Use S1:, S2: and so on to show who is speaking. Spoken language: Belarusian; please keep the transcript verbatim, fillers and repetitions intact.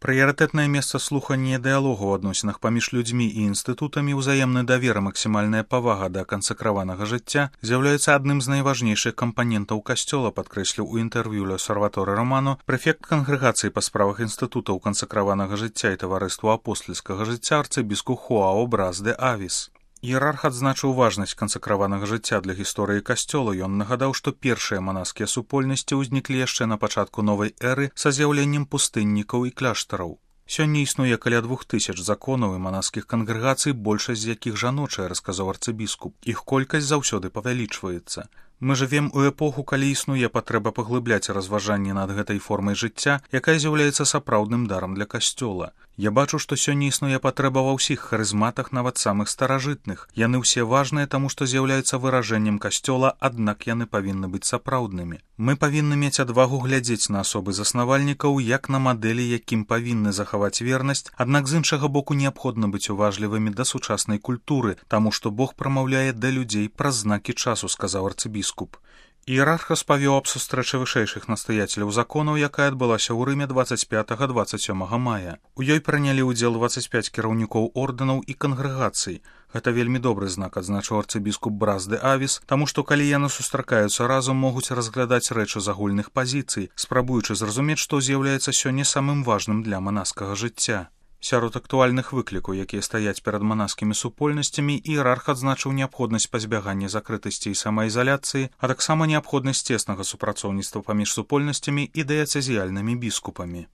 S1: Прыярытэтнае месца слухання дыялогу ў адносінах паміж людзьмі і інстытутамі, ўзаемны давер і максімальная павага да кансакраванага жыцця з'яўляецца адным з найважнейшых кампанентаў касцёла, падкрэсліў у інтэрв'ю L'Osservatore Romano прэфект кангрэгацыі па справах інстытутаў кансакраванага жыцця і таварыству апостальскага жыцця арцыбіскуп Хуао Брас де Авіс. Іерарх адзначыў важнасць кансакраванага жыцця для гісторыі касцёла. Ён нагадаў, што першыя манаскія супольнасці ўзніклі яшчэ на пачатку новай эры са з'яўленнем пустыннікаў і кляштараў. Сёння існуе каля двух тысяч законаў і манаскіх кангрэгацый, большасць з якіх жаночая, расказаў арцыбіскуп. Іх колькасць заўсёды павялічваецца. Мы жывем у эпоху, калі існуе патрэба паглыбляць разважанні над гэтай формай жыцця, якая з'яўляецца сапраўдным дарам для касцёла. Я бачу, што сёння існуе патрэба ва ўсіх харызматах, нават самых старажытных. Яны ўсе важныя, таму што з'яўляюцца выражэннем касцёла, аднак яны павінны быць сапраўднымі. Мы павінны мець адвагу глядзець на асобы заснавальнікаў як на мадэлі, якім павінны захаваць вернасць, аднак з іншага боку неабходна быць уважлівымі да сучаснай культуры, таму што Бог прамаўляе да людзей праз знакі часу, сказаў арцыбіскуп. Іерарх распавёў аб сустрэчы вышэйшых настаяцеляў законаў, якая адбылася ў Рыме дваццаць пятага - дваццаць сёмага мая. У ёй прынялі ўдзел дваццаць пяць кіраўнікоў ордэнаў і кангрэгацый. Гэта вельмі добры знак, адзначыў арцыбіскуп Брас де Авіс, таму што калі яны сустракаюцца разам, могуць разглядаць рэчы з агульных пазіцый, спрабуючы зразумець, што з'яўляецца сёння самым важным для манаскага жыцця. Сярод актуальных выклікаў, якія стаяць перад манаскімі супольнасцямі, іерарх адзначыў неабходнасць пазбягання закрытасці і самаізаляцыі, а таксама неабходнасць цеснага супрацоўніцтва паміж супольнасцямі і дыяцэзіяльнымі біскупамі.